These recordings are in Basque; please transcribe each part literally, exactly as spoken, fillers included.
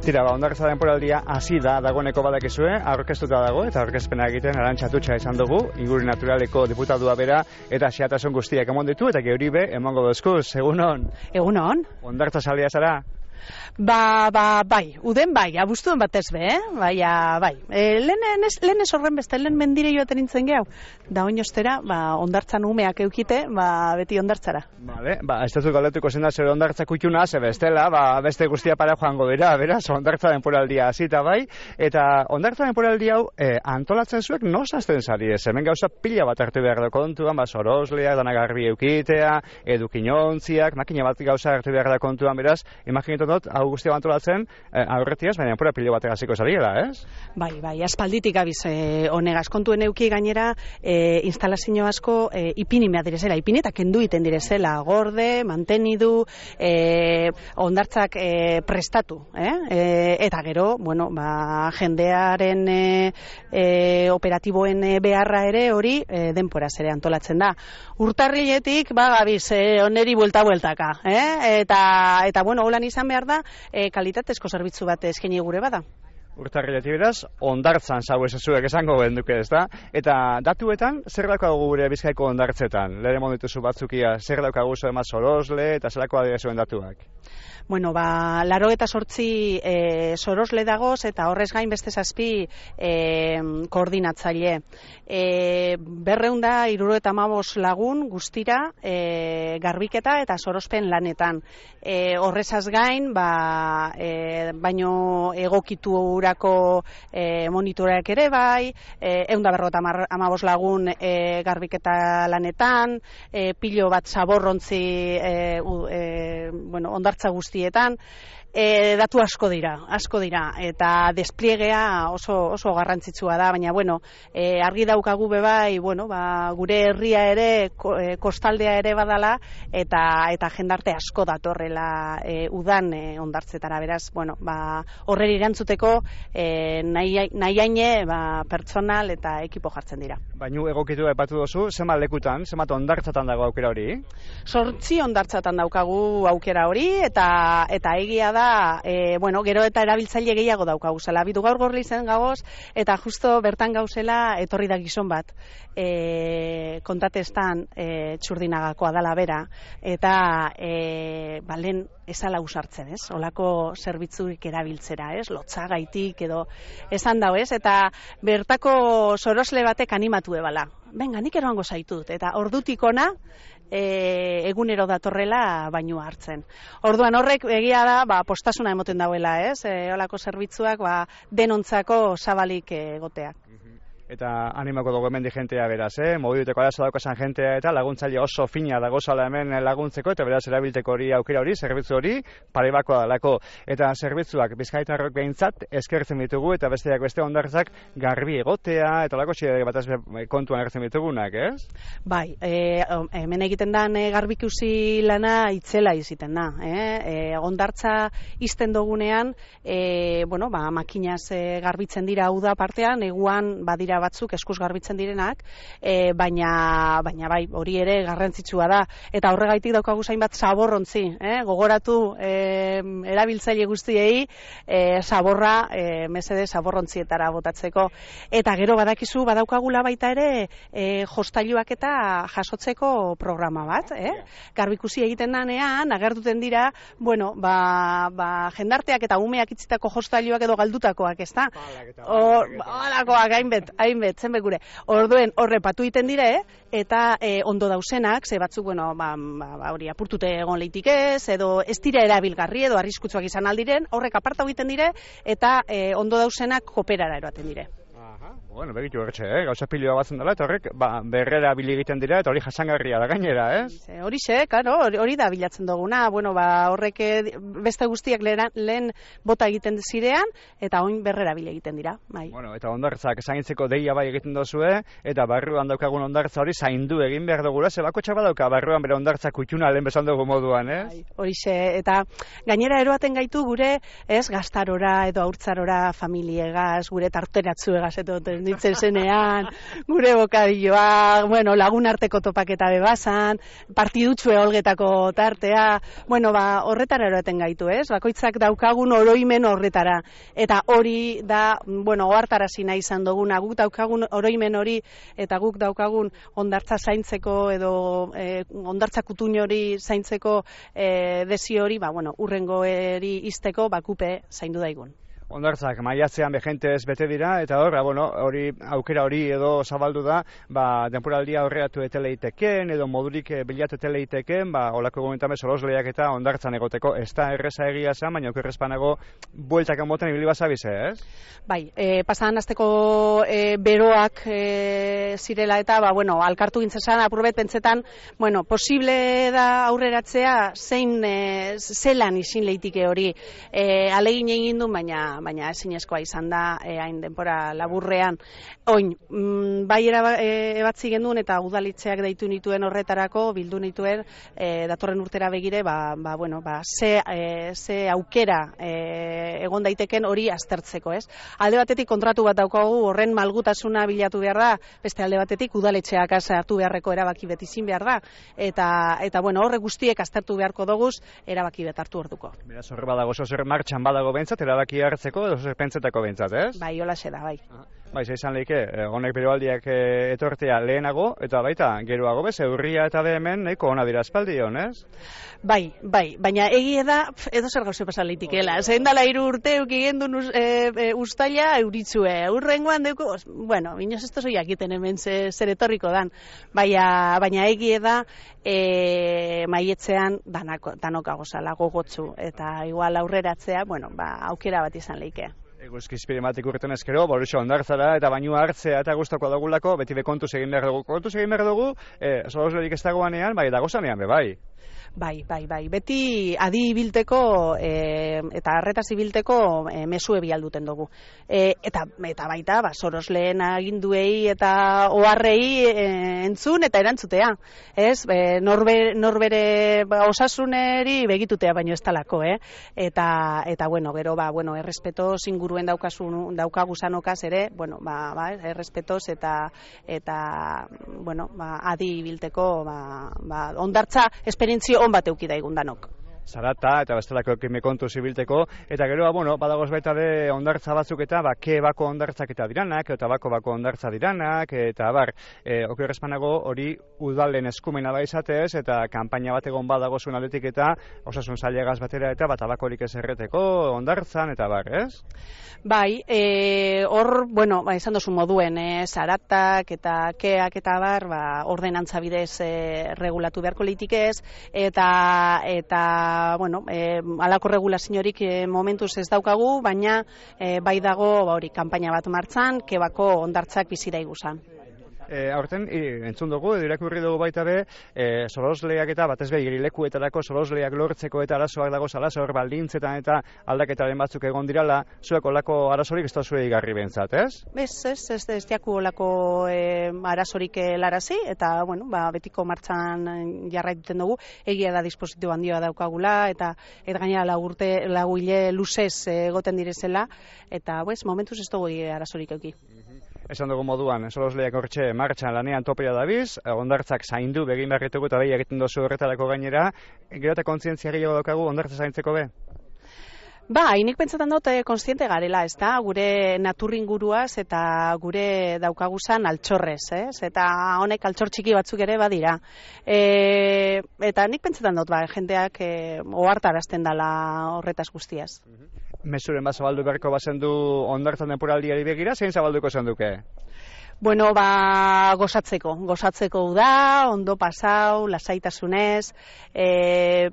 Tira, ba, hondartza denporaldia hasi da dagoeneko badakizue, aurkeztuta dago eta aurkezpena egiten Arantxa Atutxa izan dugu, inguru naturaleko diputadua bera eta xehetasun guztiak emon ditu eta geuri be emongo dozkuz, egunon? Egunon. Hondartza salia zara? Ba, ba, bai, uden bai, abuztuen batez be, eh? Baina, bai. E, lehen ez horren beste, lehen mendire joaten nintzen gehu. Da oinostera, ba, hondartzan umeak eukite, ba, beti hondartzara. Vale, ba, ez dut galdetuko zen da zer hondartza kutxuna, ze bestela, ba, beste guztia para joango dira, beraz, hondartza denporaldia hasita bai, eta hondartza denporaldia hau eh, antolatzen zuek nosazten zari ez, hemen gauza pila bat hartu behar da kontuan, ba, sorosleak, dana garbi eukitea, edukinontziak, makina bat gauza hartu behar da kontuan, beraz, imaginetan dut, hau guztia antolatzen, eh, aurretiaz, baina pura pila bat egaziko zariela, ez? Bai, bai, aspalditik abiz eh, honegaz, kontuen euki gainera, eh, instalazio asko eh, ipini mea direzela, ipini eta kendu iten direzela, gorde, mantenidu, eh, hondartzak eh, prestatu, eh? Eh, eta gero, bueno, ba, jendearen eh, eh, operatiboen eh, beharra ere hori eh, denporaz ere antolatzen da. Urtarriletik, ba, gabiz, eh, oneri buelta-bueltaka, eh? Eta, eta bueno, holan izan behar da, e, kalitatezko zerbitzu bat eskaini gure bada. Urtarriletik beraz, hondartzan zau esazuek esango benduke, ez da? Eta datuetan, zer daukagu gure Bizkaiko hondartzetan? Lehen emon dituzu batzukia, zer daukagu zoema sorosle eta zerako adierazuen datuak? Bueno, ba, laro eta sortzi e, sorosle dagoz eta horrez gain beste zazpi e, koordinatzaile. E, berreunda iruro eta amabos lagun guztira e, garbiketa eta sorospen lanetan. E, horrezaz gain, ba, e, baino egokitu urako e, monitoreak ere bai, e, eunda berrota amabos lagun e, garbiketa lanetan, e, pilo bat zaborrontzi e, u, e, bueno, hondartza guzti E, datu asko dira, asko dira, eta despliegea oso, oso garrantzitsua da, baina, bueno, e, argi daukagu bebai, bueno, ba, gure herria ere, ko, e, kostaldea ere badala, eta eta jendarte asko datorrela e, udan e, hondartzetara, beraz, bueno, ba, horreri erantzuteko e, nahi, nahi haine, ba, pertsonal eta ekipo jartzen dira. Baina egokitu epatu dozu, zenbat lekutan, zenbat hondartzatan dago aukera hori? Sortzi hondartzatan daukagu aukera hori, eta eta egia da, e, bueno, gero eta erabiltzaile gehiago daukagu zela. Bidu gaur gorri zen gagoz, eta justo bertan gauzela etorri da gizon bat. E, kontatestan e, txurdinagakoa dala bera, eta e, balen ezala usartzen, ez? Olako zerbitzurik erabiltzera, ez? Lotzagaitik edo esan dau, ez? Eta bertako sorosle batek animatu ebala. Benga, nik eroango zaitut, eta ordutik ona, E, egunero datorrela bainua hartzen. Orduan horrek egia da, ba, postasuna emoten dauela, ez? E, olako zerbitzuak, ba, denontzako zabalik egoteak. Eta animako dugu hemen di jentea beraz, eh? Mobiduteko arazo daukasan jentea eta laguntzaile oso fina dagozala hemen laguntzeko, eta beraz erabilteko hori aukera hori, zerbitzu hori, parebakoa dalako. Eta zerbitzuak bizkaitarrok behintzat eskertzen ditugu, eta besteak beste hondartzak garbi egotea, eta lako txide bat kontuan erretzen ditugunak, ez? Bai, e, hemen egiten dan e, garbikusi lana itzela iziten da. Eh? E, hondartza izten dugunean, e, bueno, ba, makinaz e, garbitzen dira hau da partean, eguan badira batzuk eskuz garbitzen direnak, e, baina, baina bai, hori ere garrantzitsua da. Eta horregaitik daukagu zainbat zaborrontzi, eh? Gogoratu e, erabiltzaile guztiei e, zaborra, e, mesede zaborrontzietara botatzeko. Eta gero badakizu, badaukagula baita ere e, jostailuak eta jasotzeko programa bat, eh? Garbikusi egiten danean, agertuten dira, bueno, ba, ba, jendarteak eta umeak itzitako jostailuak edo galdutakoak, ez da? Halakoak, hainbet, hainbet, zenbek gure. Orduen, horre patu iten dire, eta e, ondo dausenak, ze batzuk, bueno, ba, ba, hori apurtute egon leitik ez, edo ez dira erabilgarri, edo arriskutsuak izan aldiren, horrek apartau egiten dire, eta e, ondo dausenak kooperara eroaten dire. Bueno, begitu horretxe, eh? Gauza pilioa batzen dela, eta horrek ba, berrera bili egiten dira, eta hori jasangarria da gainera, ez? Eh? Horixe, karo, hori da bilatzen duguna, bueno, ba, horrek beste guztiak lehen, lehen bota egiten zirean, eta oin berrera bili egiten dira, bai. Bueno, eta hondartzak zaintzeko deia bai egiten dozue, eta barruan daukagun hondartza hori zaindu egin behar dugula, zebako txaba dauka barruan bere hondartza kutxuna lehen bezan dugu moduan, ez? Bai, horixe, eta gainera eroaten gaitu gure, ez, gaztarora edo haurtzarora familiegaz, gure tarteratzuegaz, edo gelditzen zenean, gure bokadilloa, bueno, lagun arteko topaketa bebazan, partidutxue olgetako tartea, bueno, ba, horretara eroeten gaitu, ez? Bakoitzak daukagun oroimen horretara, eta hori da, bueno, ohartarazi nahi izan duguna, guk daukagun oroimen hori, eta guk daukagun ondartza zaintzeko, edo eh, ondartza kutuin hori zaintzeko eh, desi hori, ba, bueno, urrengo eri izteko, bakupe zaindu daigun. Ondartzak maiatzean begentez bete dira, eta hor, bueno, hori aukera hori edo zabaldu da, ba, denporaldia horreatu eteleiteken, edo modurik bilatu eteleiteken, ba, olako gomentame solosleak eta ondartzan egoteko, ez da erreza egia zen, baina okerrezpanago bueltak enboten ibili bazabize, ez? Bai, e, pasadan azteko e, beroak e, zirela eta, ba, bueno, alkartu gintzezan, apurbet pentsetan, bueno, posible da aurreratzea, zein e, zelan izin leitike hori, e, alegin egin du, baina baina ezinezkoa izan da e, hain denpora laburrean. Oin, mm, bai era, e, ebatzi genduen eta udalitzeak deitu nituen horretarako, bildu nituen e, datorren urtera begire, ba, ba, bueno, ba, ze, e, ze aukera e, egon daiteken hori aztertzeko, ez? Alde batetik kontratu bat daukagu horren malgutasuna bilatu behar da, beste alde batetik udaletxeak hartu beharreko erabaki bet izin behar da, eta, eta bueno, horre guztiek aztertu beharko doguz, erabaki bet hartu orduko. Beraz, horre badago, zozer martxan badago bentsat, erabaki hartzeko, edo zozer pentsetako bentsat, ez? Bai, hola da, bai. Bai, izan lehike, honek beroaldiak e, etortea lehenago, eta baita, geroago bez, eurria eta behemen, nahiko ona dira espaldi honez? Bai, bai, baina egie da, edo zer gauze pasan leitikela. Zein dala hiru urte eukigendun e, e, ustaila euritzue. Urrengoan deuko, bueno, inoz ez tozu jakiten hemen ze, zer etorriko dan. Baina, baina egie da, e, maietzean danako, danok agozala gogotzu. Eta igual aurreratzea, bueno, ba, aukera bat izan leikea. Eguzki izpirimatik urten ezkero, borutxo ondartzara eta bainua hartzea eta guztako dagulako, beti be kontuz egin behar dugu. Kontuz egin behar dugu, e, soloslerik ez dagoanean, bai, dagozanean, be, bai. Bai, bai, bai. Beti adi ibilteko e, eta arretaz ibilteko e, mesue bialduten dugu. E, eta, eta baita, ba, sorosleen aginduei eta oharrei e, entzun eta erantzutea. Ez, e, norbere, norbere ba, osasuneri begitutea baino ez talako, eh? Eta, eta bueno, gero, ba, bueno, errespetoz inguruen daukasun, daukaguzanokaz ere, bueno, ba, ba, errespetoz eta, eta bueno, ba, adi ibilteko, ba, ba, ondartza esperientzio on bat euki daigun danok. Zarata eta bestelako ekime kontu zibilteko, eta gero, bueno, badagoz baita de ondartza batzuk eta, ba, ke bako ondartzak eta diranak, eta bako bako ondartza diranak, eta bar, e, okerrezpanago hori udalen eskumena da izatez, eta kanpaina bat egon badagozun aldetik eta osasun zailegaz batera eta bat abakorik ez erreteko, ondartzan, eta bar, ez? Bai, e, hor, bueno, ba, esan dozu moduen, e, zaratak eta keak eta bar, ba, ordenantza bidez e, regulatu beharko leitikez, eta, eta bueno, e, alako regulaziorik e, momentuz ez daukagu, baina e, bai dago ba, hori kanpaina bat martzan, kebako ondartzak bizira iguzan. E, aurten, e, entzun dugu, edo irakurri dugu baita be, e, solosleak eta batez be irilekuetarako solosleak lortzeko eta arazoak dago zala, hor baldintzetan eta aldaketaren batzuk egon dirala, zuek olako arazorik ez da zue igarri bentzat, ez? Ez, ez, ez, ez diaku olako e, arazorik larazi, eta, bueno, ba, betiko martzan jarraituten dugu, egia da dispositibo handia daukagula, eta eta gainera lagurte, laguile luzez egoten direzela, eta, bez, momentuz ez dugu arazorik euki. Esan dugu moduan, solosleak hortxe martxan lanean topea dabiz, ondartzak zaindu begin beharretugu eta behi egiten dozu horretarako gainera, gero eta kontzientzia gehiago daukagu ondartza zaintzeko be? Ba, hainik pentsatzen dut kontziente garela, ez da, gure naturringuruaz eta gure daukaguzan altxorrez, ez? Eta honek altxor txiki batzuk ere badira. E, eta nik pentsatzen dut, ba, jendeak e, ohartarazten dela horretaz guztiaz. Mezuren bat zabaldu beharko bazen du ondartzan denporaldiari begira, zein zabalduko zen duke? Bueno, ba, gozatzeko, gozatzeko da, ondo pasau, lasaitasunez, e,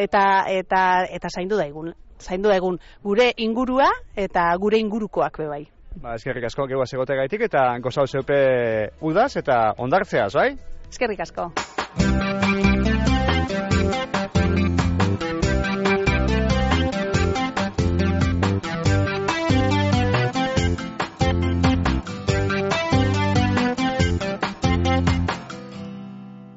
eta, eta, eta zaindu da egun, zaindu da egun gure ingurua eta gure ingurukoak be bai. Ba, eskerrik asko, geua segote gaitik eta gozau zeupe udaz eta ondartzeaz, bai? Eskerrik asko.